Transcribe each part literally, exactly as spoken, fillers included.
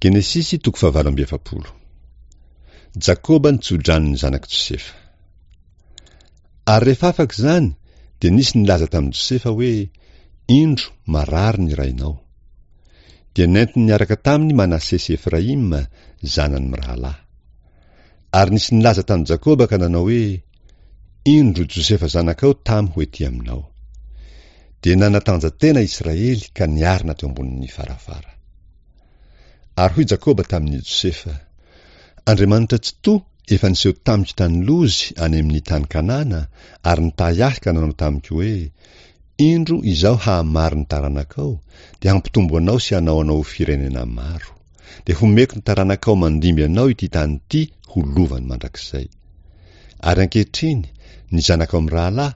Genesisy toko fahavalo amby efapolo. Jakoba nitso-drano ny zanak'i Josefa. Ary rehefa afaka izany, dia nisy nilaza tamin'i Josefa hoe, Indro, marary ny rainao. Dia nentiny niaraka taminy Manase sy Efraima, zanany mirahalahy. Ary nisy nilaza tamin'i Jakoba ka nanao hoe, Indro, Josefa zanakao tamy ho ety aminao. Dia nanatanja-tena Israely ka niarina teo ambonin'ny farafara. Ary hoy Jakoba tamin'i Josefa, Andriamanitra Tsitoha efa niseho tamiko tany Lozy any amin'ny tany Kanana, ary nitahy ahy ka nanao tamiko hoe, Indro Izaho hahamaro ny taranakao, dia hampitombo anao sy hanao anao ho firenena maro. Dia homeko ny taranakao mandimby anao ity tany ity ho lovany mandrakizay. Ary ankehitriny, ny zanakao mirahalahy,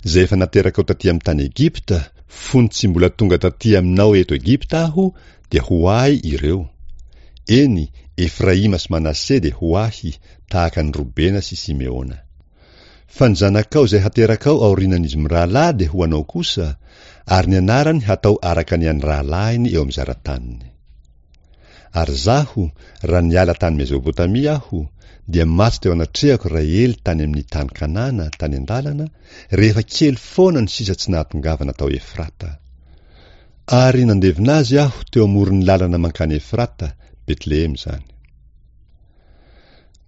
izay efa naterakao taty amin'ny tany Egypta, fony tsy mbola tonga taty aminao eto Egypta aho, dia ho ahy ireo. Eny, Efraima sy Manase dia ho ahy, tahaka an'i Robena sy Simeona. Fa ny zanakao izay haterakao aorianan'izy mirahalahy dia ho anao kosa, ary ny anarany hatao araka ny an'ny rahalahiny eo amin'ny zara-taniny. Ary izaho, raha niala tany Mezopotamia aho, dia maty teo anatrehako Rahely tany amin'ny tany Kanana, tany an-dalana, rehefa kely foana ny sisa tsy nahatongavana tao Efrata. Ary nandevina azy aho teo amoron'ny lalana mankany Efrata, Betlehema izany.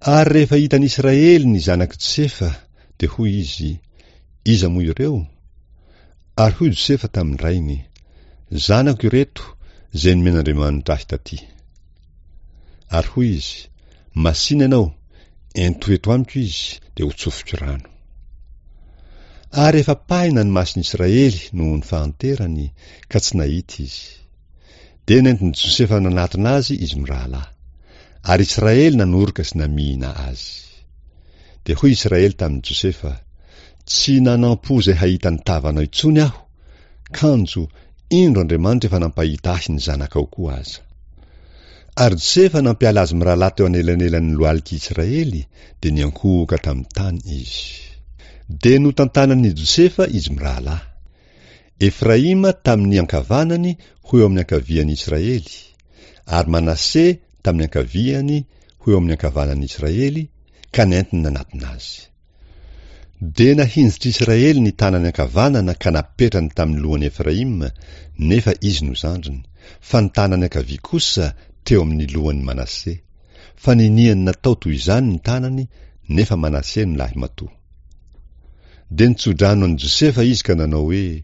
Ary rehefa hitan'i Israely ny zanak'i Josefa, dia hoy izy, Iza moa ireo? Ary hoy Josefa tamin'ny rainy, Zanako ireto, izay nomen'Andriamanitra ahy taty. Ary hoy izy, Masìna ianao, ento eto amiko izy, dia hotsofiko rano. Ary efa pahina ny mason'i Israely noho ny fahanterany, ka tsy nahita izy. Dia nentin'i Josefa nanatona azy izy mirahalahy. Ary Israely nanoroka sy namihina azy. Dia hoy Israely tamin'i Josefa, Tsy nanampo izay hahita ny tavanao intsony aho, kanjo indro Andriamanitra efa nampahita ahy ny zanakao koa aza. Ary Josefa nampiala azy mirahalahy teo anelanelan'ny lohalik'i Israely, dia niankohoka tamin'ny tany izy. Dia notantanan'i Josefa izy mirahalahy. Efraima tamin'ny ankavanany ho eo amin'ny ankavian'i Israely, ary Manase tamin'ny ankaviany ho eo amin'ny ankavanan'i Israely, ka nentiny nanatona azy. Dia nahinjitr'i Israely ny tanany ankavanana ka napetrany tamin'ny lohan'i Efraima, nefa izy no zandriny, fa ny tanany ankavia kosa teo amin'ny lohan'i Manase. Fa niniany natao toy izany ny tanany, nefa Manase no lahimatoa. Dia nitso-drano an'i Josefa izy ka nanao hoe,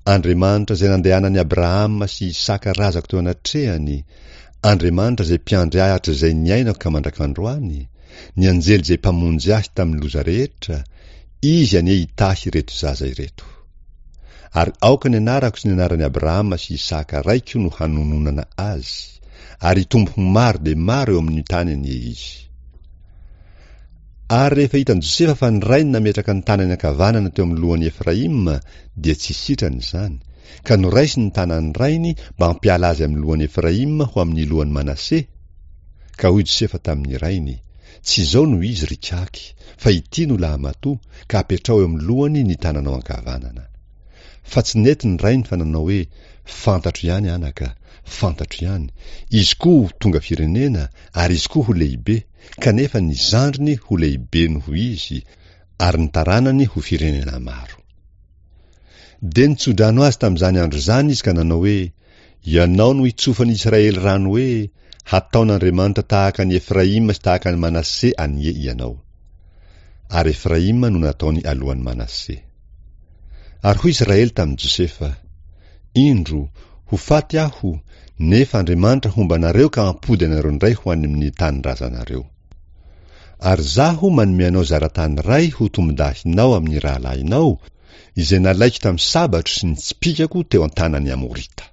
Andriamanitra izay nandehanan'i Abrahama sy Isaka razako teo anatrehany, Andriamanitra izay mpiandry ahy hatrizay niainako ka mandrak'androany, ny anjely izay mpamonjy ahy tamin'ny loza rehetra, Izy anie hitahy ireto zaza ireto. Ary aoka ny anarako sy ny anaran'i Abrahama sy Isaka raiko no hanononana azy, ary hitombo ho maro dia maro eo amin'ny tany anie izy. Ary rehefa hitan'i Josefa fa ny rainy nametraka ny tanany ankavanana teo amin'ny lohan'i Efraima, dia tsy sitrany izany, ka noraisiny ny tanan'ny rainy mba hampiala azy amin'ny lohan'i Efraima ho amin'ny lohan'i Manase, Ka hoy Josefa tamin'ny rainy, Tsy izao no izy, ry kaky, fa ity no lahamatoa, ka apetraho eo amin'ny lohany ny tananao ankavanana. Fa tsy nety ny rainy fa nanao hoe, Fantatro ihany, anaka, fantatro ihany, izy koa ho tonga firenena, ary izy koa ho lehibe, kanefa ny zandriny ho lehibe noho izy, ary ny taranany ho firenena maro. Dia nitso-drano azy tamin'izany andro izany izy ka nanao hoe, Ianao no hitsofan'i Israely rano hoe, Hataon'Andriamanitra tahaka an'i Efraima sy tahaka an'i Manase anie ianao. Ary Efraima no nataony alohan'i Manase. Ary hoy Israely tamin'i Josefa, Indro, ho faty aho, nefa Andriamanitra homba anareo ka hampody anareo indray ho any amin'ny tanindrazanareo. Ary izaho manome anao zaratany iray ho tombondahinao amin'ny rahalahinao, izay nalaiko tamin'ny sabatro sy ny tsipìkako teo an-tanan'ny Amorita.